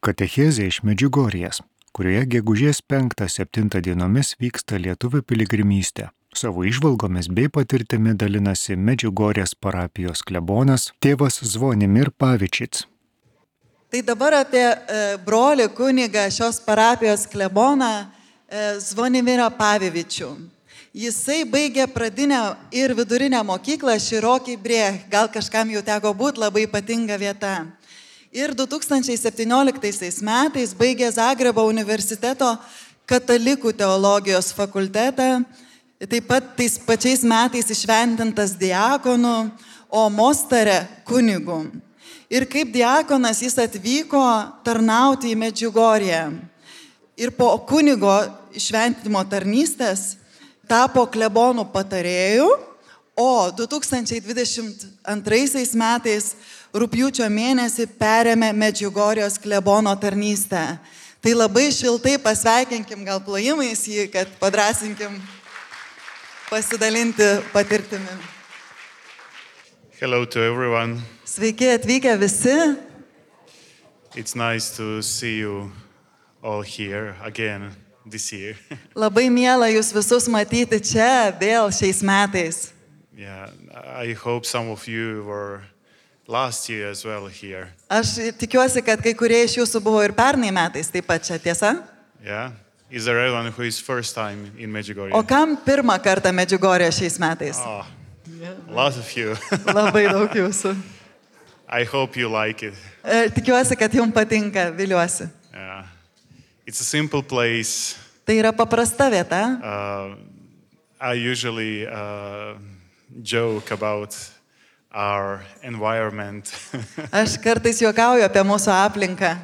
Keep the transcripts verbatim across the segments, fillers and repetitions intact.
Katechezė iš Medžiugorjės, kurioje gegužės penktą septintą dienomis vyksta lietuvių piligrimystė. Savo įžvalgomis bei patirtimi dalinasi Medžiugorjės parapijos klebonas tėvas Zvonimir Pavičic. Tai dabar apie e, brolį kunigą šios parapijos kleboną e, Zvonimirą Pavičių. Jisai baigė pradinę ir vidurinę mokyklą Širokį Brėch, gal kažkam jau teko būti, labai ypatinga vieta. Ir du tūkstančiai septynioliktaisiais metais baigė Zagrebo universiteto katalikų teologijos fakultetą, taip pat tais pačiais metais išventintas diakonu, o Mostare kunigu. Ir kaip diakonas jis atvyko tarnauti į Medžiugorję. Ir po kunigo šventimo tarnystės tapo klebonų patarėjų, o du tūkstančiai dvidešimt antraisiais metais rugpjūčio mėnesį perėmė Medžiugorjos klebono tarnystę. Tai labai šiltai pasveikinkim gal plojimais jį, kad padrasinkim pasidalinti patirtimi. Hello to everyone. Sveiki atvykę visi. It's nice to see you all here again this year. Labai miela jūs visus matyti čia vėl šiais metais. Yeah, I hope some of you were last year as well here. Aš tikiuosi, kad kai kurie iš jūsų buvo ir pernai metais taip pat čia, tiesa? Yeah. Is there anyone who is first time in Medjugorje? O kam pirmą kartą Medžiugorje šiais metais? Oh, a lot of you. Labai daug jūsų. I hope you like it. E, Tikiuosi, kad jums patinka, viliuosi. Yeah. It's a simple place. Tai yra paprasta vieta. Uh, I usually uh, joke about our environment. Aš kartais juokauju apie mūsų aplinką.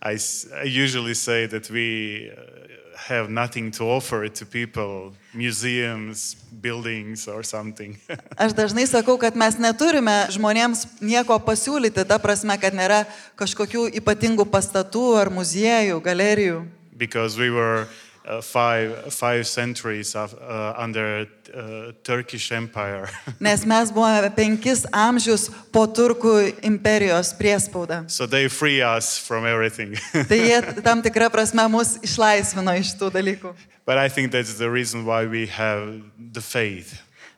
I, s- I usually say that we uh, have nothing to offer to people, museums, buildings or something. Aš dažnai sakau, kad mes neturime žmonėms nieko pasiūlyti, ta prasme, kad nėra kažkokių ypatingų pastatų ar muziejų, galerijų. Because we were uh, five, five centuries of, uh, under uh, Turkish Empire. Nes mes buvome penkis amžius po Turkų imperijos priespaudą. So they free us from everything. Tai jie tam tikrą prasme mus išlaisvino iš tų dalykų. But I think that's the reason why we have the faith.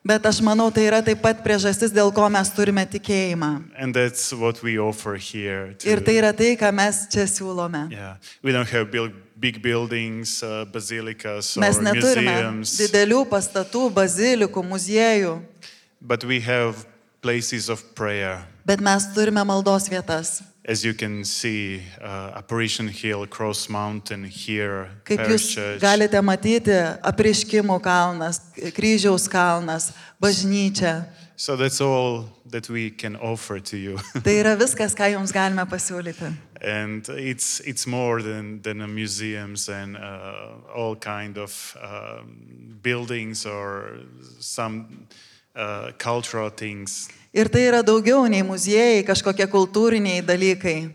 Bet aš manau, tai yra taip pat priežastis, dėl ko mes turime tikėjimą. And that's what we offer here. To, Ir tai yra tai, ką mes čia siūlome. yeah. We don't have build, big buildings, uh, basilicas or Mes neturime museums. didelių pastatų, bazilikų, muziejų, But we have places of prayer. bet mes turime maldos vietas. As you can see, uh, Apparition Hill, Cross Mountain here, Kaip Parish jūs Church. galite matyti, Apreiškimų kalnas, Kryžiaus kalnas, bažnyčia. So that's all that we can offer to you. Tai yra viskas, ką jums galime pasiūlyti. And it's it's more than than a museums and uh, all kind of um, buildings or some uh, cultural things. Ir tai yra daugiau nei muziejai, kažkokie kultūriniai dalykai.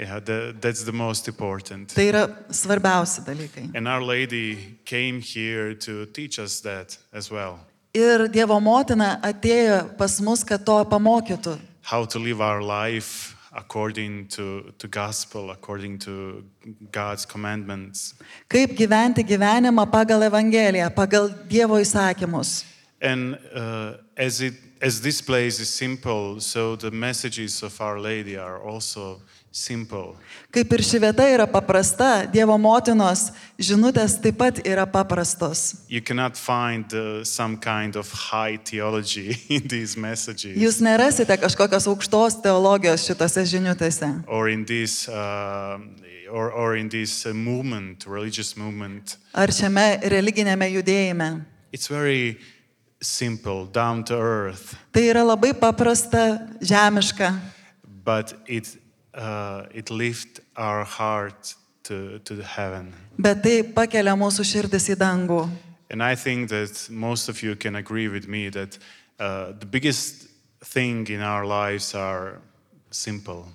Yeah, the, that's the most important. Tai yra svarbiausi dalykai. And Our Lady came here to teach us that as well. Ir Dievo motina atėjo pas mus, kad to pamokytų. How to live our life according to to gospel, according to God's commandments. Kaip gyventi gyvenimą pagal Evangeliją, pagal Dievo įsakymus. And uh, as it as this place is simple, so the messages of Our Lady are also simple. Kaip ir ši vieta yra paprasta, Dievo motinos žinutės taip pat yra paprastos. You cannot find uh, some kind of high theology in these messages Jūs nerasite kažkokios aukštos teologijos šitose žinutėse. or in this uh, or or in this uh, movement, religious movement. Ar šiame religinėme judėjime. It's very simple, down to earth, Tai yra labai paprasta, žemiška, but it uh, it lifts our heart to to the heaven. bet tai pakelia mūsų širdis į dangų. And I think that most of you can agree with me that uh, the biggest thing in our lives are simple,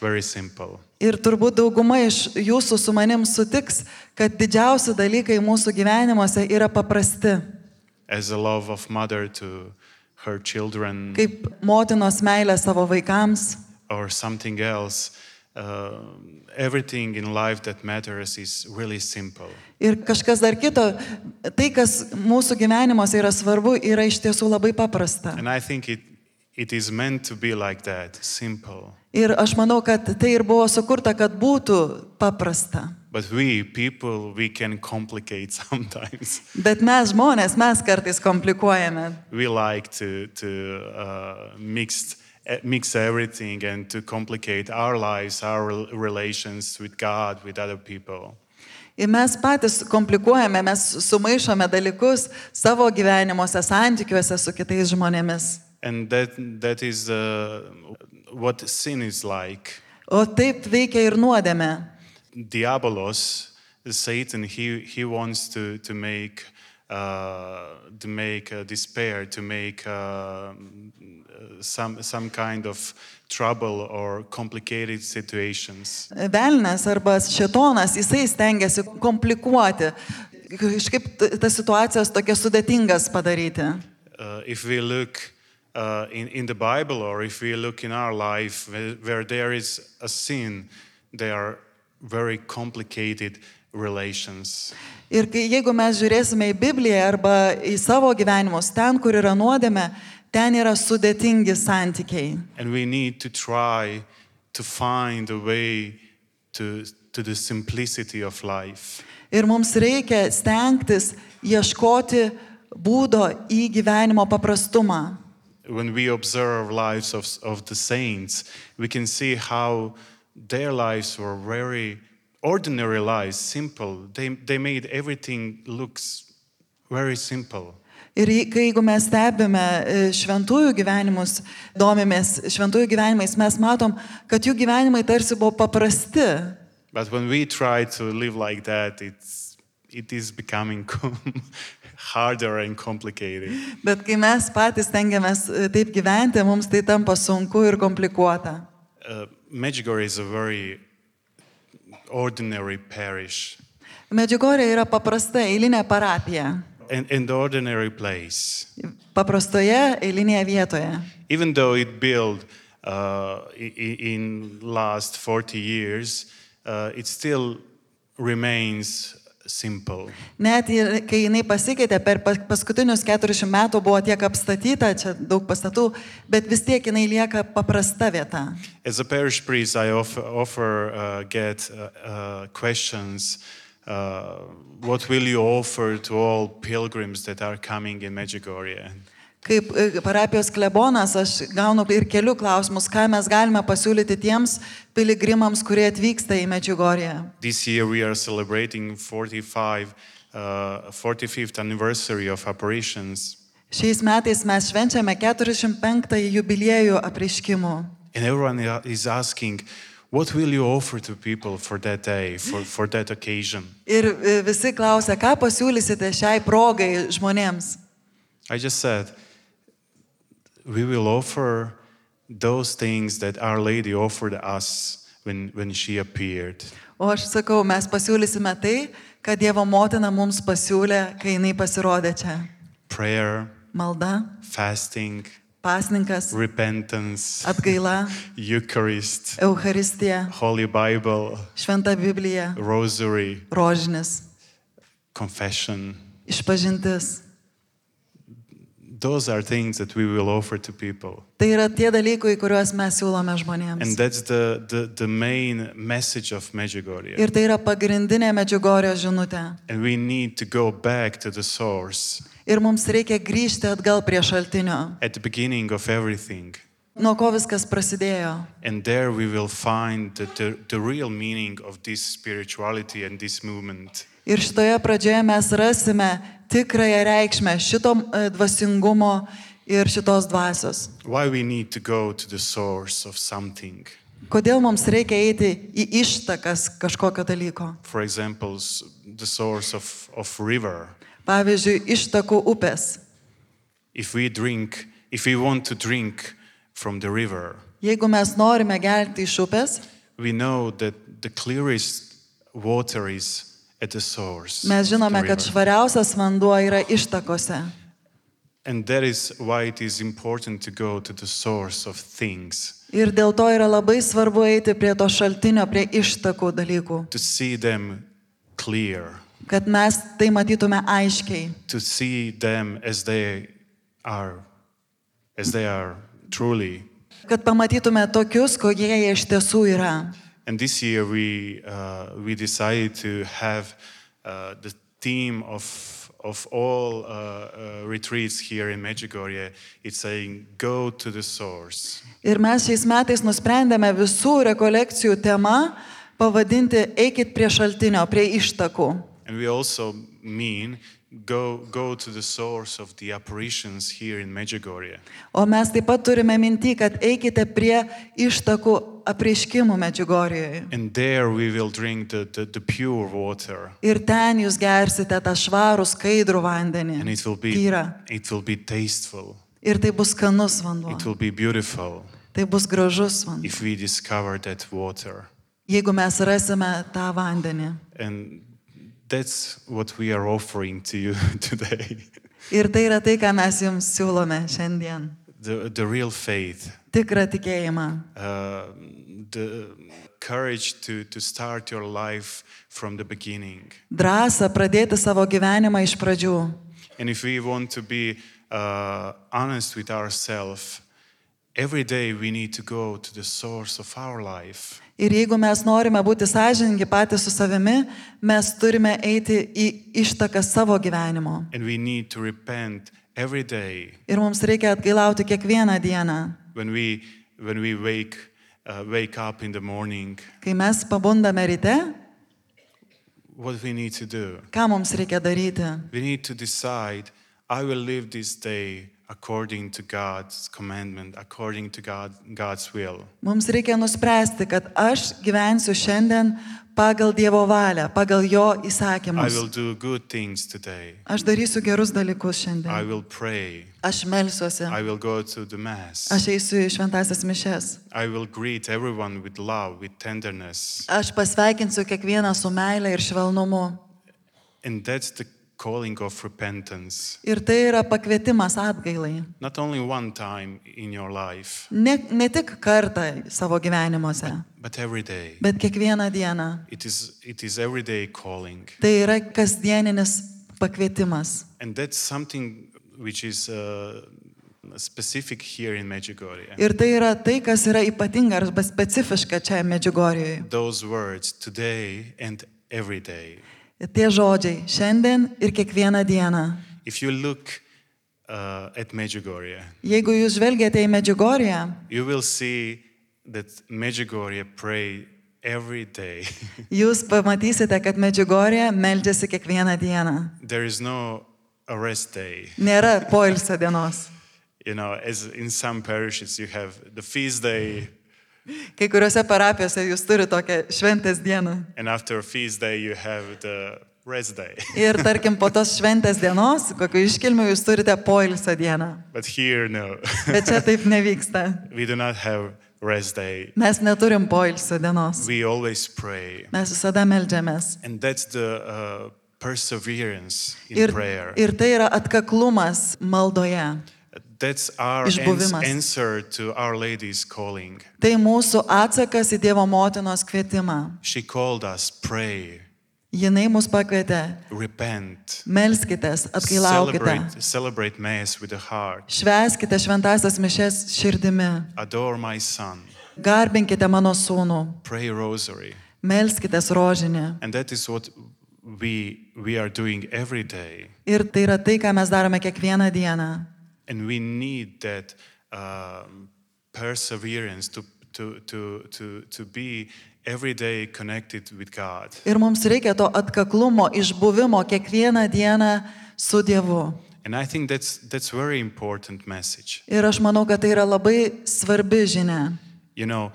very simple. Ir turbūt dauguma iš jūsų su manim sutiks, kad didžiausi dalykai mūsų gyvenimuose yra paprasti. As a love of mother to her children Kaip motinos meilė savo vaikams, or something else, uh, everything in life that matters is really simple. Ir kažkas dar kito, tai, kas mūsų gyvenimuose yra svarbu, yra iš tiesų labai paprasta. And I think it, it is meant to be like that, simple. Ir aš manau, kad tai ir buvo sukurta, kad būtų paprasta. But we, people, we can complicate sometimes. Bet mes žmonės, mes kartais komplikuojame. We like to, to uh, mix, uh, mix everything and to complicate our lives, our rel- relations with God, with other people. Ir mes patys komplikuojame, mes sumaišome dalykus savo gyvenimuose, santykiuose su kitais žmonėmis. And that, that is uh, what sin is like. O taip veikia ir nuodėmė. Diabolos, Satan, he, he wants to, to make, uh, to make uh, despair, to make uh, some, some kind of trouble or complicated situations. Velnias arba šėtonas, jisai stengiasi komplikuoti, kažkaip tas situacijas tokias sudėtingas padaryti. Uh, if we look uh, in, in the Bible or if we look in our life where, where there is a sin, there are very complicated relations. Ir kai, jeigu mes žiūrėsime į Bibliją arba į savo gyvenimus, ten, kur yra nuodėmė, ten yra sudėtingi santykiai. And we need to try to find a way to, to the simplicity of life. Ir mums reikia stengtis ieškoti būdo į gyvenimo paprastumą. When we observe lives of, of the saints, we can see how their lives were very ordinary lives, simple. They, they made everything looks very simple. Ir kai jeigu mes stebime šventųjų gyvenimus, domimės šventųjų gyvenimais, mes matom, kad jų gyvenimai tarsi buvo paprasti. But when we try to live like that, it's, it is becoming harder and complicated. Bet kai mes patys tengiamės taip gyventi, mums tai tampa sunku ir komplikuota. Uh, Medjugorje is a very ordinary parish. Medžiugorje yra paprasta eilinė parapija. An, an ordinary place. Paprastoje eilinėje vietoje. Even though it built uh, in, in last forty years, uh, it still remains simple. Net ir, kai jinai pasikeitė, per paskutinius keturiasdešimt metų buvo tiek apstatyta, čia daug pastatų, bet vis tiek jinai lieka paprasta vieta. As a parish priest, I offer, offer uh, get uh, uh, questions. Uh, what will you offer to all pilgrims that are coming in Medjugorje? Kaip parapijos klebonas, aš gaunu ir kelių klausimus, ką mes galime pasiūlyti tiems piligrimams, kurie atvyksta į Medžiugorję. This year we are celebrating forty-five, uh, forty-fifth anniversary of apparitions. Šiais metais mes švenčiame keturiasdešimt penktąjį jubiliejų apreiškimų. And everyone is asking, what will you offer to people for that day, for, for that occasion? Ir visi klausia, ką pasiūlysite šiai progai žmonėms. I just said, we will offer those things that Our Lady offered us when, when she appeared. O aš sakau, mes pasiūlysime tai, ką Dievo motina mums pasiūlė, kai jinai pasirodė čia. Prayer, Malda, fasting, pasninkas, repentance, atgaila, Eucharist, Eucharistija, Holy Bible, Šventa Biblija, Rosary, rožinis, confession. išpažintis. Those are things that we will offer to people. Tai yra tie dalykai, kuriuos mes siūlome žmonėms. And that's the, the, the main message of Medjugorje. Ir tai yra pagrindinė Medžiugorjės žinutė. And we need to go back to the source. Ir mums reikia grįžti atgal prie šaltinio. At the beginning of everything. Nuo ko viskas prasidėjo. And there we will find the, the, the real meaning of this spirituality and this movement. Ir šitoje pradžioje mes rasime tikrąją reikšmę šito dvasingumo ir šitos dvasios. Why we need to go to the source of something. Kodėl mums reikia eiti į ištakas kažkokio dalyko. For example, the source of, of river. Pavyzdžiui, ištakų upės. If we drink, if we want to drink from the river. Jeigu mes norime gerti iš upės, we know that the clearest water is at the source. Mes žinome, kad švariausias vanduo yra ištakose. And that is why it is important to go to the source of things, Ir dėl to yra labai svarbu eiti prie to šaltinio, prie ištakų dalykų, to see them clear, kad mes tai matytume aiškiai, to see them as they are, as they are truly. kad pamatytume tokius, kokie jie iš tiesų yra. And this year we uh, we decided to have uh, the theme of of all uh, uh, retreats here in Medjugorje. It's saying, "Go to the source." Ir mes šiais metais nusprendėme visų rekolekcijų temą pavadinti "Eikit prie šaltinio, prie ištakų". And we also mean go go to the source of the apparitions here in Medjugorje. O mes taip pat turime minty, kad eikite prie ištakų apreiškimų Medžiugorjoje. And there we will drink the, the, the pure water. Ir ten jūs gersite tą švarų, skaidrų vandenį. And it will be Tyrą. it will be tasteful. Ir tai bus skanus vanduo. It will be beautiful Tai bus gražus vanduo. if we discover that water. Jeigu mes rasime tą vandenį. And that's what we are offering to you today. Ir tai yra tai, ką mes jums siūlome šiandien. The, the real faith, Tikrą tikėjimą. uh, the courage to, to start your life from the beginning. Drąsą pradėti savo gyvenimą iš pradžių. And if we want to be uh, honest with ourselves, every day we need to go to the source of our life. Ir jeigu mes norime būti sąžiningi patys su savimi, mes turime eiti į ištaką savo gyvenimo. And we need to repent every day Ir mums reikia atgailauti kiekvieną dieną. when we, when we wake, uh, wake up in the morning. Kai mes pabundame ryte, What we need to do? ką mums reikia daryti? We need to decide, I will live this day according to God's commandment, according to God, God's will. Mums reikia nuspręsti, kad aš gyvensiu šiandien pagal Dievo valią, pagal Jo I įsakymus. will do good things today. Aš darysiu gerus dalykus I šiandien. will pray. Aš melsiuosi. I will go to the Mass. Aš eisiu į šventasias mišes. I will greet everyone with love, with tenderness. Aš pasveikinsiu kiekvieną su meile ir švelnumu. And that's the calling of repentance. Ir tai yra pakvietimas atgailai. Not only one time in your life, Ne, ne tik kartą savo gyvenimuose, but every day. bet kiekvieną dieną. It is, it is everyday calling. Tai yra kasdieninis pakvietimas. And that's something which is uh, specific here in Medjugorje. Ir tai yra tai, kas yra ypatinga arba specifiška čia Medžiugorjoje. Those words, today and every day. Tie žodžiai šiandien ir kiekvieną dieną. If you look uh, at Medjugorje, Jeigu jūs žvelgiate į Medžiugorję, you will see that Medjugorje pray every day. jūs pamatysite, kad Medžiugorė meldžiasi kiekvieną dieną. There is no arrest day. Nėra poilsio dienos. You know, as in some parishes you have the feast day, Kai kuriuose parapijose jūs turite tokią šventės dieną. and after feast day you have the rest day. Ir tarkim, po tos šventės dienos, kokiu iškilmiu jūs turite poilsio dieną. But here, no. Bet čia taip nevyksta. We do not have rest day. Mes neturim poilsio dienos. We always pray. Mes visada meldžiamės. And that's the uh, perseverance in Ir, prayer. ir tai yra atkaklumas maldoje. That's our Išbuvimas. ans- answer to Our Lady's calling. Tai mūsų atsakas į Dievo motinos kvietimą. She called us, pray, Jinai mus pakvietė. repent, Melskitės, atgailaukite. celebrate, celebrate Mass with the heart, Švęskite šventasias mišes širdimi. adore my Son, Garbinkite mano sūnų. pray Rosary. Melskitės rožinį. And that is what we, we are doing every day. Ir tai yra tai, ką mes darome kiekvieną dieną. And we need that um, perseverance to, to, to, to, to be every day connected with God. Ir mums reikia to atkaklumo, išbuvimo kiekvieną dieną su Dievu. And I think that's, that's very important message. Ir aš manau, kad tai yra labai svarbi žinia. You know,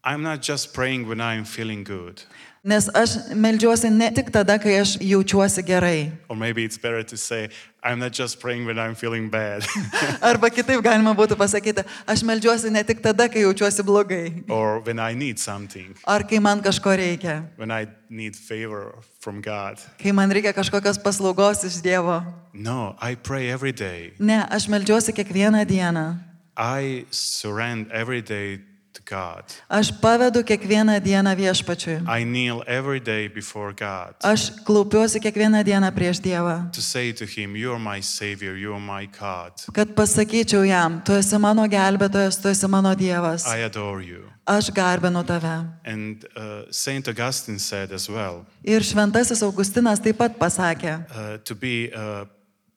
I'm not just praying when I'm feeling good. Nes aš meldžiuosi ne tik tada, kai aš jaučiuosi gerai. Or maybe it's better to say, I'm not just praying when I'm feeling bad. Arba kitaip galima būtų pasakyti, aš meldžiuosi ne tik tada, kai jaučiuosi blogai. Or when I need something. Ar kai man kažko reikia. When I need favor from God. Kai man reikia kažkokios paslaugos iš Dievo. No, I pray every day. Ne, aš meldžiuosi kiekvieną dieną. I surrender every day to God. Aš pavedu kiekvieną dieną Viešpačiui. I kneel every day before God. Aš klaupiuosi kiekvieną dieną prieš Dievą. To say to him, you're my savior, you're my God. Kad pasakyčiau jam, tu esi mano gelbėtojas, tu esi mano Dievas. I adore you. Aš garbinu tave. And uh, Saint Augustine said as well. Ir šventasis Augustinas taip pat pasakė. Uh, to be uh,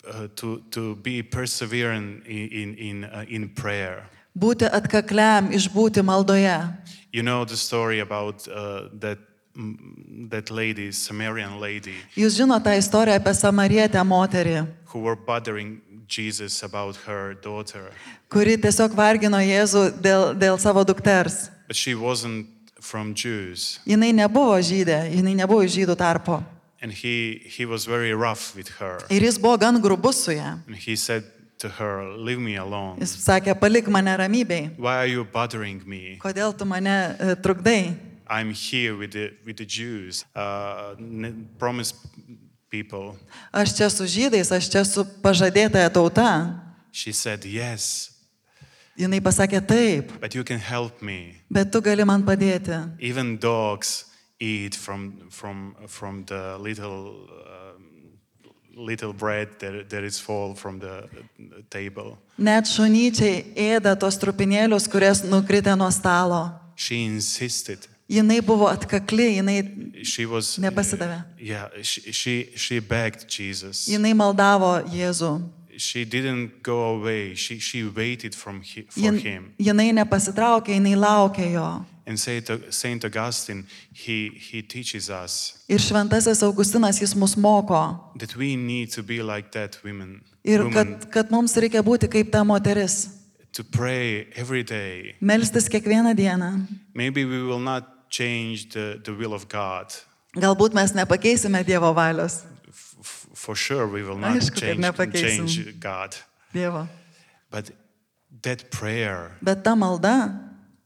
uh, to to be persevering in in in, uh, in prayer. Būti atkakliam, išbūti maldoje. You know the story about uh, that mm, that lady, Samaritan lady, Jūs žinote tą istoriją apie samarietę moterį, who were bothering Jesus about her daughter, kuri tiesiog vargino Jėzų dėl, dėl savo dukters. but she wasn't from Jews, Jinai nebuvo žydė, jinai nebuvo iš žydų tarpo. and he he was very rough with her, Ir jis buvo gan grubus su ja. and he said to her, "Leave me alone. Jis sakė, palik mane ramybėj. Why are you bothering me? Kodėl tu mane e, trukdai? I'm here with the with the Jews, uh, n- promised people." Aš čia su žydais, aš čia su pažadėtąja tauta. She said, "Yes, Jinai pasakė taip, but you can help me. bet tu gali man padėti. Even dogs eat from from from the little um, little bread that that is fall from the table." Net šunyčiai ėda tos trupinėlius, kurias nukritė nuo stalo. She insisted. Jinai buvo atkakli, jinai, She was Nepasidavė. yeah. She she she begged Jesus. jinai maldavo Jėzų. She didn't go away. She she waited from he, for Jin, him. jinai nepasitraukė, jinai laukė jo. And Saint Saint Augustine, he he teaches us Ir šventasis Augustinas jis mus moko. that we need to be like that women. Ir woman, kad, kad mums reikia būti kaip ta moteris. to pray every day. Melstis kiekvieną dieną. Maybe we will not change the, the will of God. Galbūt mes nepakeisime Dievo valios. F- f- for sure we will not Aišku, kad change, nepakeisim. change God. Dievo. But that prayer, Bet ta malda,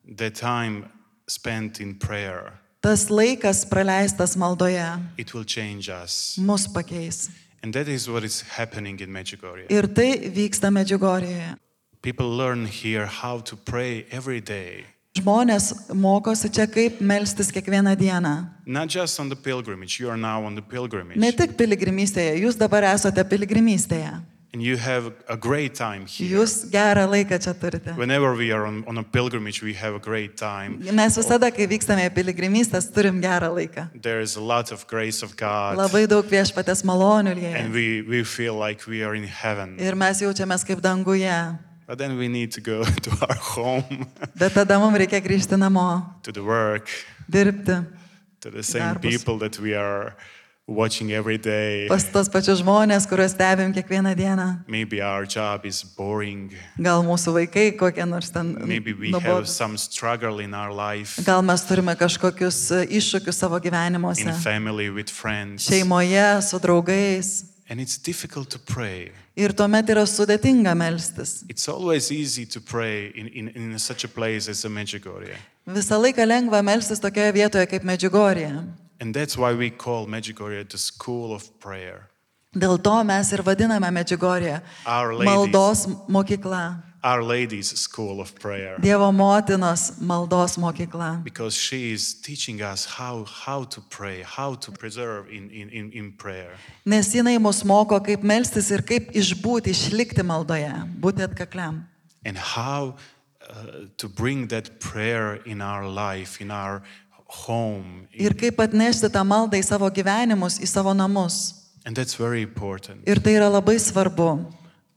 the time spent in prayer, tas laikas praleistas maldoje, it will change us. mus pakeis. And that is what is happening in Medjugorje. Ir tai vyksta Medžiugorjėje. People learn here how to pray every day. Žmonės mokosi čia kaip melstis kiekvieną dieną. Not just on the pilgrimage, you are now on the pilgrimage. Ne tik piligrimystėje, jūs dabar esate piligrimystėje. And you have a great time here. Jūs gerą laiką čia turite. Whenever we are on, on a pilgrimage, we have a great time. Mes visada, kai vykstame į piligrimystės, turim gerą laiką. There is a lot of grace of God. Labai daug Viešpaties malonių And lieja. we, we feel like we are in heaven. Ir mes jaučiamės kaip danguje. But then we need to go to our home, Bet tada mums reikia grįžti namo, to the work, dirbti to the same Darbus. people that we are watching every day. pas tos pačius žmonės, kuriuos stebim kiekvieną dieną. Maybe our job is boring. Gal mūsų vaikai kokie nors ten Maybe we have nuobodūs. some struggle in our life, Gal mes turime kažkokius e, iššūkius savo gyvenimuose. in family, with friends. Šeimoje, su draugais. And it's difficult to pray. Ir tuomet yra sudėtinga melstis. It's always easy to pray in, in, in such a place as a Medjugorje. Visą laiką lengva melstis tokioje vietoje kaip Medžiugorje. And that's why we call Medjugorje the school of prayer. Dėl to mes ir vadiname Medžiugorje Our Lady's- maldos mokykla. Our Lady's school of prayer. Dievo motinos maldos mokykla. Because she is teaching us how, how to pray, how to preserve in, in, in, in prayer. Nes jinai mus moko, kaip melstis ir kaip išbūti, išlikti maldoje, būti atkakliam. And how uh, to bring that prayer in our life, in our home. Ir kaip atnešti tą maldą į savo gyvenimus, į savo namus. And that's very important. Ir tai yra labai svarbu.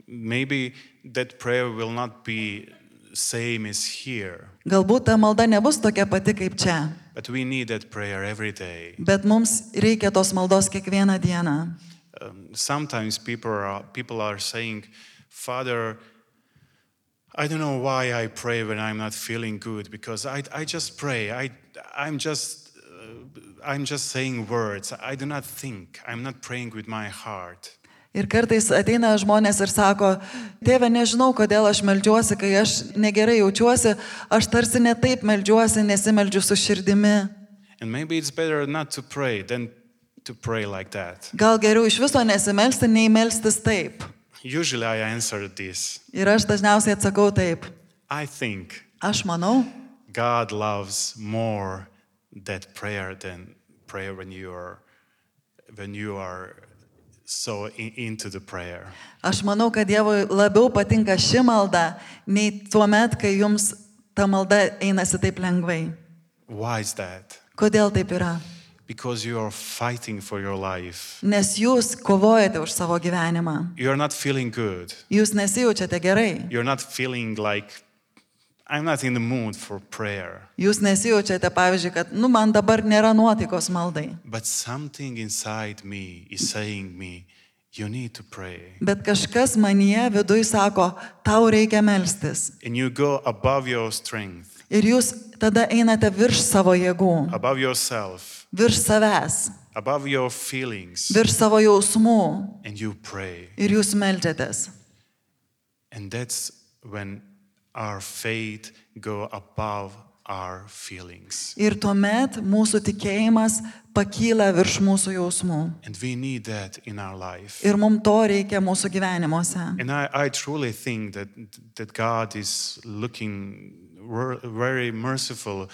Maybe that prayer will not be same as here, Galbūt ta malda nebus tokia pati kaip čia, but we need that prayer every day. bet mums reikia tos maldos kiekvieną dieną. Um, sometimes people are, people are saying, Father, I don't know why I pray when I'm not feeling good, because I, I just pray. I, I'm just, uh, I'm just saying words. I do not think. I'm not praying with my heart. Ir kartais ateina žmonės ir sako, tėve, nežinau, kodėl aš meldžiuosi, kai aš negerai jaučiuosi, aš tarsi ne taip meldžiuosi, nesimeldžiu su širdimi. And maybe it's better not to pray than to pray like that. Gal geriau iš viso nesimelsti, nei melstis taip. Usually I answer this. Ir aš dažniausiai atsakau taip. I think Aš manau, God loves more that prayer than prayer when you are when you are so in, into the prayer. aš manau, kad Dievui labiau patinka ši malda, nei tuo met, kai jums ta malda einasi taip lengvai. Why is that? Kodėl taip yra? Because you are fighting for your life. Nes jūs kovojate už savo gyvenimą. You are not feeling good. Jūs nesijaučiate gerai. You're not feeling like I'm not in the mood for prayer. Jūs nesijaučiate, pavyzdžiui, kad, nu, man dabar nėra nuotaikos maldai. But something inside me is saying me, you need to pray. Bet kažkas manyje viduj sako, tau reikia melstis. And you go above your strength, Ir jūs tada einate virš savo jėgų, above yourself, virš savęs, above your feelings, virš savo jausmų. and you pray. Ir jūs meldžiatės. And that's when our faith go above our feelings. Ir tuomet mūsų tikėjimas pakyla virš mūsų jausmų. And we need that in our life. Ir mums to reikia mūsų gyvenimuose. And I, I truly think that, that God is looking ver- very merciful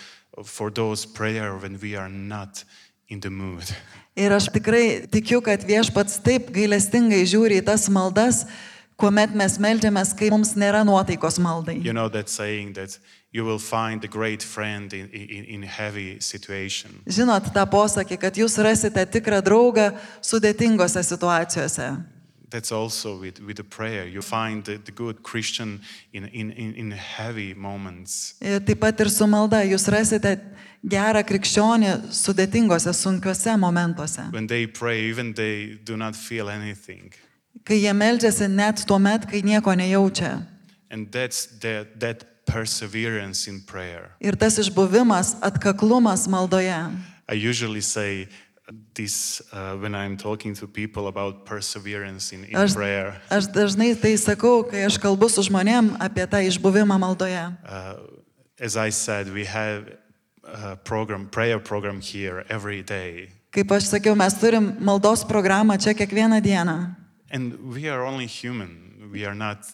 for those prayers when we are not in the mood. Ir aš tikrai tikiu, kad Viešpats taip gailestingai žiūri į tas maldas, kuomet mes meldžiamės, kai mums nėra nuotaikos maldai. You know that saying that you will find a great friend in, in, in heavy situation. Žinot tą posakį, kad jūs rasite tikrą draugą sudėtingose situacijose. That's also with, with the prayer. You find the, the good Christian in, in, in, in heavy moments. Ir taip pat ir su malda jūs rasite gerą krikščionį sudėtingose, sunkiuose momentuose. When they pray, even they do not feel anything. Kai jie meldžiasi net tuo met, kai nieko nejaučia. And that's that, that perseverance in prayer. Ir tas išbuvimas, atkaklumas maldoje. I usually say this uh, when I'm talking to people about perseverance in, in Aš, prayer. aš dažnai tai sakau, kai aš kalbu su žmonėm apie tą išbuvimą maldoje. Uh, as I said, we have a program, prayer program here every day. Kaip aš sakiau, mes turim maldos programą čia kiekvieną dieną. And we are only human. We are not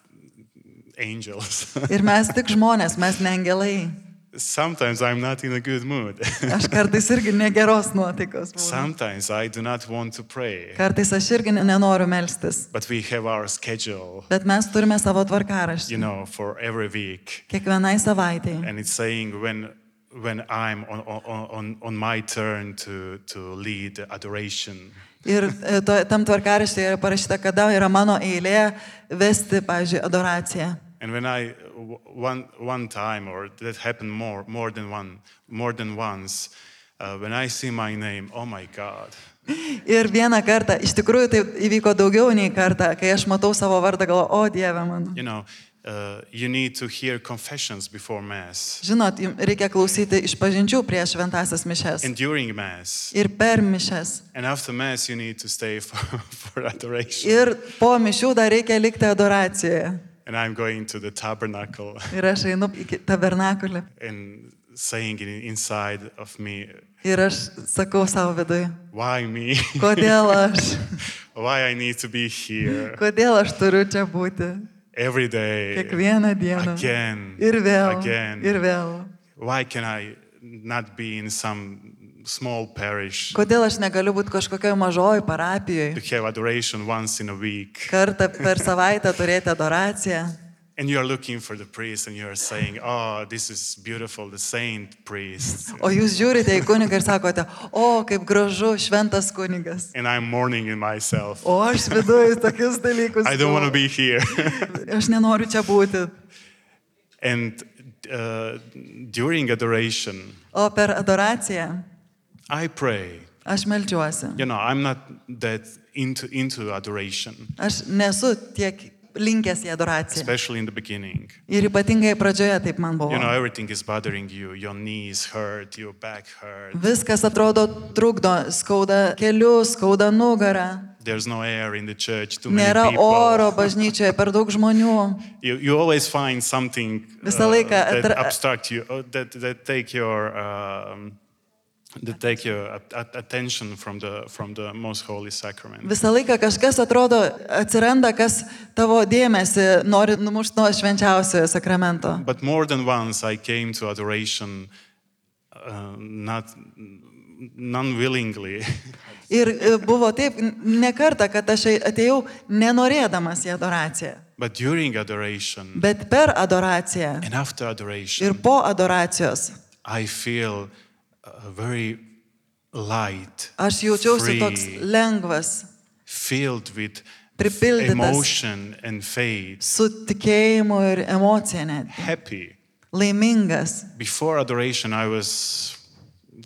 angels. Ir mes tik žmonės, mes ne angelai. Sometimes I'm not in a good mood. Aš kartais irgi negeros nuotaikos būnu. Sometimes I do not want to pray. Kartais aš irgi nenoriu melstis. But we have our schedule, Bet mes turime savo you tvarkaraštį. know, for every week. Kiekvienai savaitėjai. And it's saying when when I'm on, on, on, on my turn to, to lead adoration. Ir e, to, tam tvarkaraštyje yra parašyta, kada yra mano eilė vesti, pavyzdžiui, adoraciją. And when I one one time, or that happened more more than one more than once, uh, when I see my name, oh my God. Ir vieną kartą, iš tikrųjų tai įvyko daugiau nei kartą, kai aš matau savo vardą, galvoju, o Dieve mano. You know, uh, you need to hear confessions before Mass. Žinot, jums reikia klausyti išpažinčių prieš šventąsias mišes. And during Mass. Ir per mišes. And after Mass, you need to stay for, for adoration. Ir po mišių dar reikia likti adoracijoje. And I'm going to the tabernacle Ir aš einu į tabernakulį. and saying it inside of me, Ir aš sakau savo viduje, why me? kodėl aš, Why I need to be here kodėl aš turiu čia būti every day, kiekvieną dieną. again, Ir vėl, again. ir vėl. Why can I not be in some small parish Kodėl aš negaliu būti kažkokioje mažoje parapijoje, to have adoration once in a week? kartą per savaitę turėti adoraciją. And you're looking for the priest and you're saying, oh, this is beautiful, the saint priest. O jūs žiūrite į kunigą ir sakote, o kaip gražu, šventas kunigas. And I'm mourning in myself. O aš viduje tokius dalykus. I don't want to be here. Aš nenoriu čia būti. And uh, during adoration, O per adoraciją I pray. aš meldžiuosi. You know, I'm not that into, into adoration. Aš nesu tiek linkęs į adoraciją. especially in the beginning. Ir ypatingai pradžioje taip man buvo. You know, everything is bothering you. Your knees hurt, your back hurt. Viskas atrodo trukdo, skauda kelius, skauda nugarą. There's no air in the church, too many Nėra people. oro bažnyčioje, per daug žmonių. You, you always find something uh, Visą laiką that atra- abstract you, uh, that, that take your, um, that take your at- at- attention from the, from the most holy sacrament. Visą laiką kažkas atrodo atsiranda, kas tavo dėmesį nori numušti nuo švenčiausiojo sakramento. But more than once I came to adoration uh, not non-willingly. Ir e, buvo taip, ne kartą, kad aš atėjau nenorėdamas į adoraciją. But during adoration Bet per adoraciją and after adoration, ir po adoracijos I feel uh, very light, aš jaučiausi free, toks lengvas, filled with pripildytas emotion and faith, su tikėjimu ir emocija net, happy. laimingas. Before adoration, I was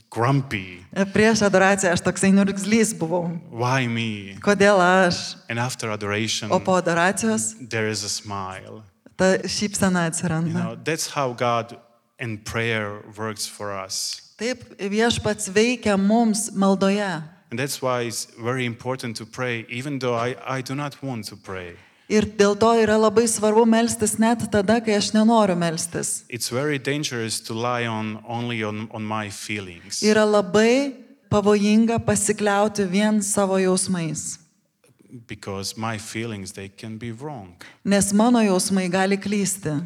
grumpy. Prieš adoraciją aš toksai niurgzlys buvau. Why me? Kodėl aš? And after adoration, O po adoracijos there is a smile. ta šypsena You atsiranda. know, that's how God and prayer works for us. Taip viešpats veikia mums maldoje. And that's why it's very important to pray, even though I, I do not want to pray. Ir dėl to yra labai svarbu melstis net tada, kai aš nenoriu melstis. It's very dangerous to lie on only on, on my feelings. Yra labai pavojinga pasikliauti vien savo jausmais. Because my feelings, they can be wrong. Nes mano jausmai gali klysti.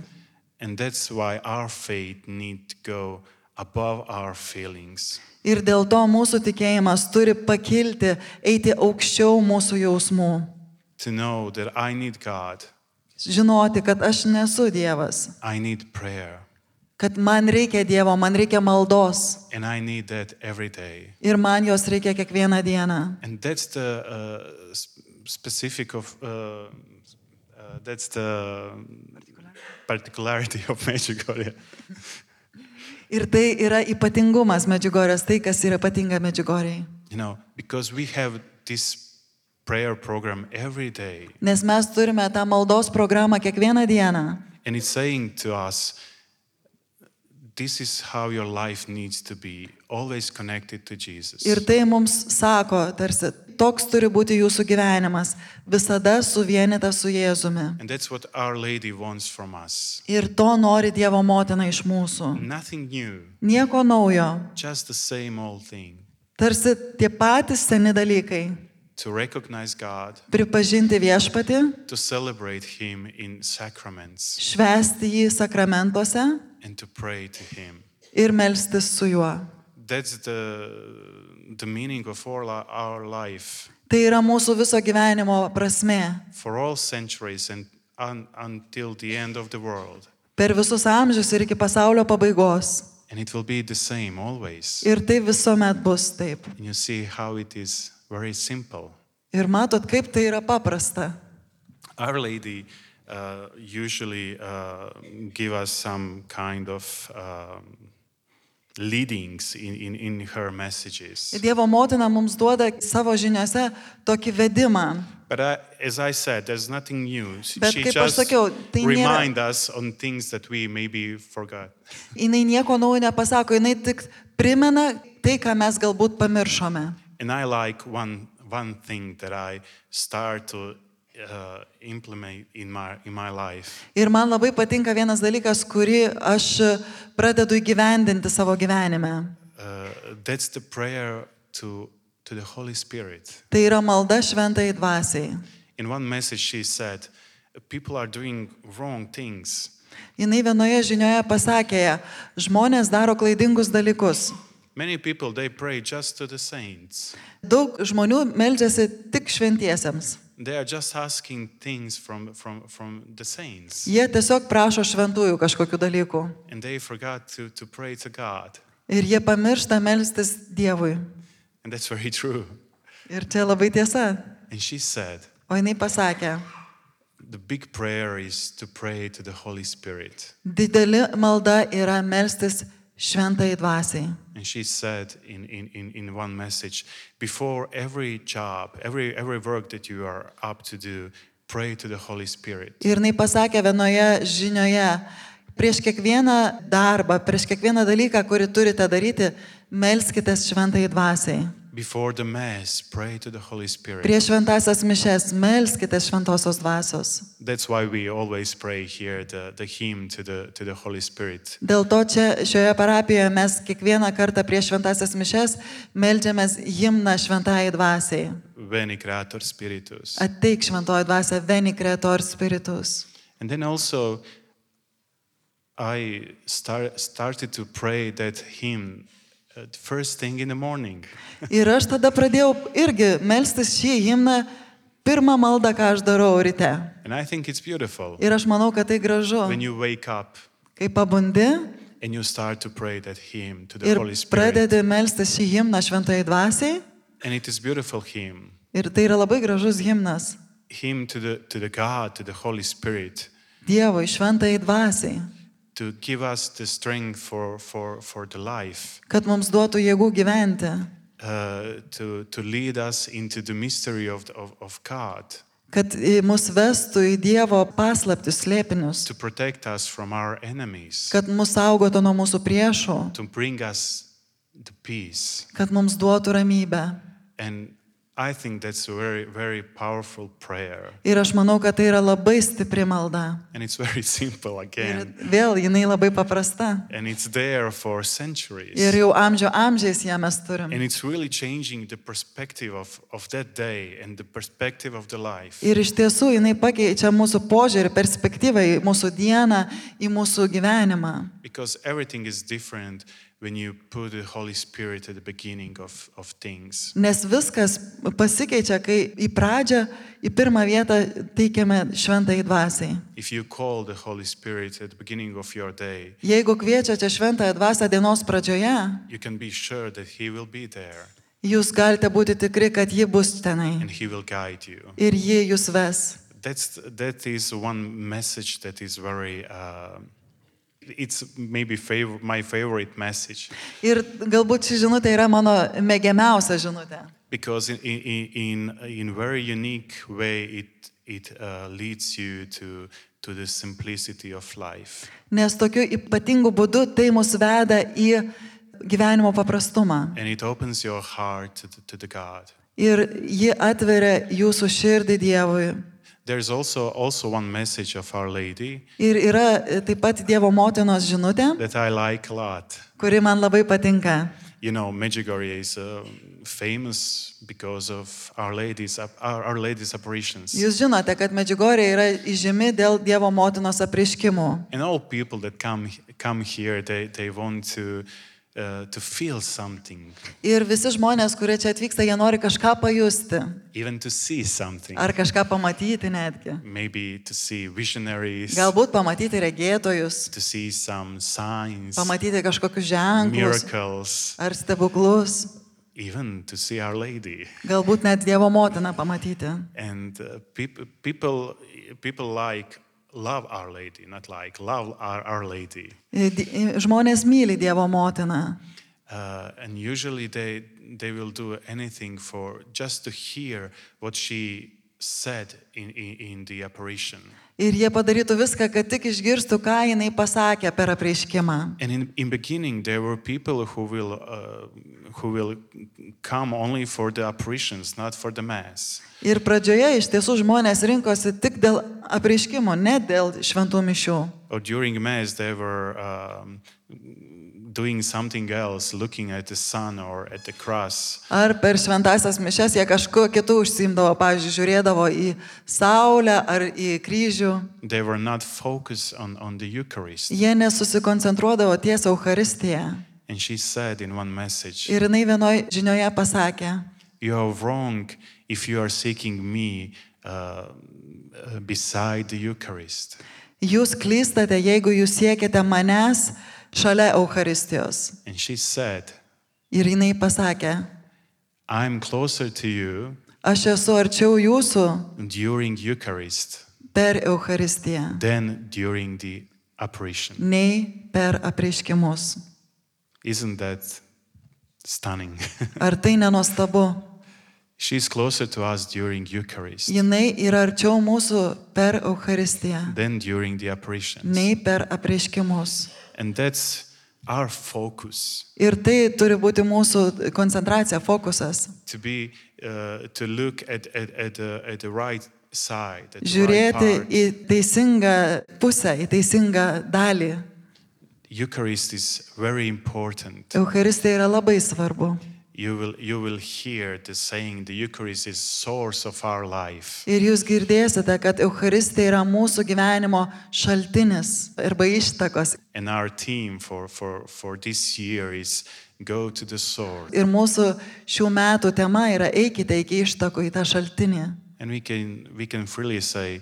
And that's why our faith need to go above our feelings. Ir dėl to mūsų tikėjimas turi pakilti, eiti aukščiau mūsų jausmų. To know that I need God, Žinoti, kad aš nesu Dievas. I need prayer, Kad man reikia Dievo, man reikia maldos. and I need that every day. Ir man jos reikia kiekvieną dieną. And that's the uh, sp- specific of, uh, uh, that's the particularity of Medjugorje. Ir tai yra ypatingumas Medžiugorės, tai kas yra ypatinga Medžiugorjei. You know, because we have this prayer program every day, Nes mes turime tą maldos programą kiekvieną dieną. and it's saying to us, this is how your life needs to be, always connected to Jesus. Ir tai mums sako, tarsi, toks turi būti jūsų gyvenimas, visada suvienytas su Jėzumi. And that's what Our Lady wants from us. Ir to nori Dievo motina iš mūsų. Nothing new, Nieko naujo, just the same old thing. tarsi tie patys seni dalykai. To recognize God, Pripažinti viešpatį, to celebrate Him in sacraments, švęsti jį sakramentuose and to pray to Him. ir melstis su juo. That's the, the meaning of all our- our life. Tai yra mūsų viso gyvenimo prasmė. For all centuries and un, until the end of the world. Per visus amžius ir iki pasaulio pabaigos. And it will be the same always. Ir tai visuomet bus taip. And you see how it is very simple. Ir matot, kaip tai yra paprasta. Our Lady uh, usually uh, give us some kind of um, leadings in, in, in her messages. Dievo motina mums duoda savo žiniuose tokį vedimą. But I, as I said, there's nothing new. She Bet she kaip aš just sakiau, tai nėra- remind us on things that we maybe forgot. Jinai nieko naujo nepasako, jinai tik primena tai, ką mes galbūt pamiršome. And I like one, one thing that I start to uh, implement in my, in my life. Ir man labai patinka vienas dalykas, kurį aš pradedu įgyvendinti savo gyvenime. Uh, that's the prayer to, to the Holy Spirit. Tai yra malda šventai dvasiai. In one message she said, people are doing wrong things. Jinai vienoje žinioje pasakė, žmonės daro klaidingus dalykus. Many people, they pray just to the saints. Daug žmonių meldžiasi tik šventiesiems. They are just asking things from, from, from the saints. Jie tiesiog prašo šventųjų kažkokių dalykų. And they forgot to, to pray to God. Ir jie pamiršta melstis Dievui. And that's very true. Ir čia labai tiesa. And she said, O jinai pasakė, the big prayer is to pray to the Holy Spirit. dideli malda yra melstis šventai dvasiai. And she said in, in, in, in one message, before every job, every, every work that you are up to do, pray to the Holy Spirit. Ir jinai pasakė vienoje žinioje, prieš kiekvieną darbą, prieš kiekvieną dalyką, kurį turite daryti, melskitės šventai dvasiai. Before the Mass, pray to the Holy Spirit. Prieš šventasias mišes melskitės šventosios dvasios. That's why we always pray here the, the hymn to the, to the Holy Spirit. Dėl to čia šioje parapijoje mes kiekvieną kartą prieš šventasias mišes meldžiamės himną šventai dvasiai. Veni Creator Spiritus. Ateik šventoji dvasia, veni Creator Spiritus. And then also I start, started to pray that hymn uh, first thing in the morning. Ir aš tada pradėjau irgi melstis šį himną, pirmą maldą, ką aš darau ryte. And I think it's beautiful. Ir aš manau, kad tai gražu. When you wake up Kai pabundi and you start to pray that hymn to the ir Holy Spirit. pradedi melstis šį himną šventai dvasiai. And it is beautiful hymn. Ir tai yra labai gražus himnas. Hymn to the, to the God, to the Holy Spirit. Dievui, šventai dvasiai. To give us the strength for, for, for the life. Kad mums duotų jėgų gyventi. Uh, to, to lead us into the mystery of, the, of, of God. Kad mus vestų į Dievo paslaptis slėpinius. To protect us from our enemies. Kad mus saugotų nuo mūsų priešų. To bring us the peace. Kad mums duotų ramybę. And I think that's a very, very powerful prayer. Ir aš manau, kad tai yra labai stipri malda. And it's very simple Ir again. vėl jinai labai paprasta. And it's there for centuries. Ir jau amžių amžiais ją mes turim. And it's really changing the perspective of, of that day and the perspective of the life. Ir iš tiesų jinai pakeičia mūsų požiūrį, perspektyvą į mūsų dieną, į mūsų gyvenimą. Because everything is different when you put the Holy Spirit at the beginning of, of things. Nes viskas pasikeičia, kai į pradžią, į pirmą vietą teikiame šventai dvasiai. If you call the Holy Spirit at the beginning of your day, Jeigu kviečiate šventąją dvasią dienos pradžioje, you can be sure that He will be there jūs galite būti tikri, kad ji bus tenai. and He will guide you. Ir ji jūs ves. That's, that is one message that is very, uh, it's maybe favor, my favorite message. Ir galbūt ši žinutė yra mano mėgiamiausia žinutė. Because in, in, in, in very unique way it, it uh, leads you to, to the simplicity of life. Nes tokiu ypatingu būdu tai mus veda į gyvenimo paprastumą. And it opens your heart to the, to the God. Ir ji atveria jūsų širdį Dievui. There's also, also one message of Our Lady Ir yra taip pat Dievo motinos žinutė, that I like a lot. kuri man labai patinka. You know, Medjugorje is uh, famous because of Our Lady's, Our, Our Lady's apparitions. Jūs žinote, kad Medžiugorje yra įžymi dėl Dievo motinos apreiškimų. And all people that come, come here, they, they want to, uh, to feel something, Ir visi žmonės, kurie čia atvyksta, jie nori kažką pajusti. even to see something. Ar kažką pamatyti netgi. Maybe to see visionaries, Galbūt pamatyti regėtojus, to see some signs, pamatyti kažkokius ženklus miracles, ar stebuklus. even to see Our Lady. Galbūt net Dievo motiną pamatyti. And uh, peop- people, people like love Our Lady, not like love Our, Our Lady. Di- Žmonės myli Dievo motiną. Uh, and usually they, they will do anything for just to hear what she said in, in, in the apparition. Ir jie padarytų viską, kad tik išgirstų, ką jinai pasakė per apreiškimą. And in, in beginning, there were people who will, uh, who will come only for the apparitions, not for the Mass. Ir pradžioje iš tiesų žmonės rinkosi tik dėl apreiškimo, ne dėl šventų mišių. Or during Mass, they were um, doing something else, looking at the sun or at the cross. Ar per šventasias mišes jie kažkuo kitu užsiimdavo, pavyzdžiui, žiūrėdavo į saulę ar į kryžių. They were not focused on, on the Eucharist. Jie nesusikoncentruodavo ties Eucharistiją. And she said in one message, Ir jinai vienoj žinioje pasakė, you are wrong if you are seeking me uh, uh, beside the Eucharist. jūs klystate, jeigu jūs siekite manęs šalia Eucharistijos. And she said, Ir jinai pasakė, I'm closer to you aš esu arčiau jūsų during Eucharist per Eucharistiją, than during the apparition. nei per apreiškimus. Isn't that stunning? Ar tai nenuostabu? She's closer to us during Eucharist Jinai yra arčiau mūsų per Eucharistiją, than during the apparitions. nei per apreiškimus. And that's our focus, Ir tai turi būti mūsų koncentracija, fokusas. to be, uh, to look at, at, at, the, at the right side, at the right Žiūrėti part. į teisingą pusę, į teisingą dalį. Eucharist is very important. Eucharistija yra labai svarbu. You will, you will hear the saying, the Eucharist is source of our life. Ir jūs girdėsite, kad Eucharistija yra mūsų gyvenimo šaltinis arba ištakos. And our theme for, for, for this year is go to the source. Ir mūsų šių metų tema yra eikite iki ištakų, į tą šaltinį. And we can, we can freely say,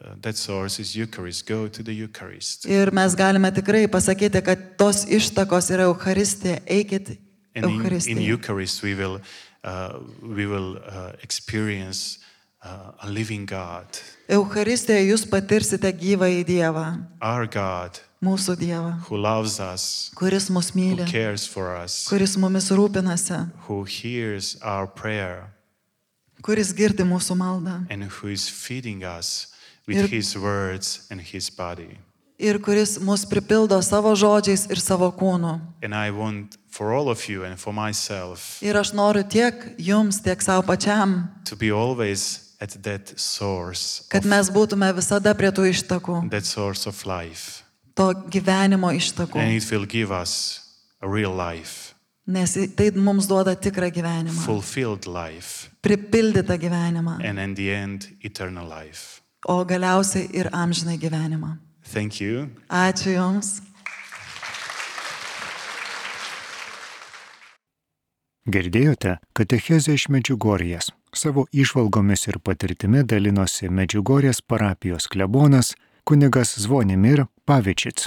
uh, that source is Eucharist, go to the Eucharist. Ir mes galime tikrai pasakyti, kad tos ištakos yra Eucharistija, eikit And in, in Eucharistija. Eucharist we will, uh, we will uh, experience uh, a living God, Eucharistijoje jūs patirsite gyvą į Dievą, our God mūsų Dievą, who loves us, kuris mus who myli, cares for us, kuris mumis rūpinasi, who hears our prayer, kuris girdi mūsų maldą and who is feeding us with Ir- His words and His body. ir kuris mus pripildo savo žodžiais ir savo kūnu. And I want for all of you and for myself Ir aš noriu tiek jums, tiek savo pačiam, to be always at that source, kad of, mes būtume visada prie tų ištakų, that source of life. to gyvenimo ištakų, And it will give us a real life, nes tai mums duoda tikrą gyvenimą, fulfilled life, pripildytą gyvenimą, and in the end, eternal life. o galiausiai ir amžinai gyvenimą. Thank you. Ačiū Jums. Girdėjote katechezę iš Medžiugorjės. Savo įžvalgomis ir patirtimi dalinosi Medžiugorjės parapijos klebonas kunigas Zvonimir Pavičic.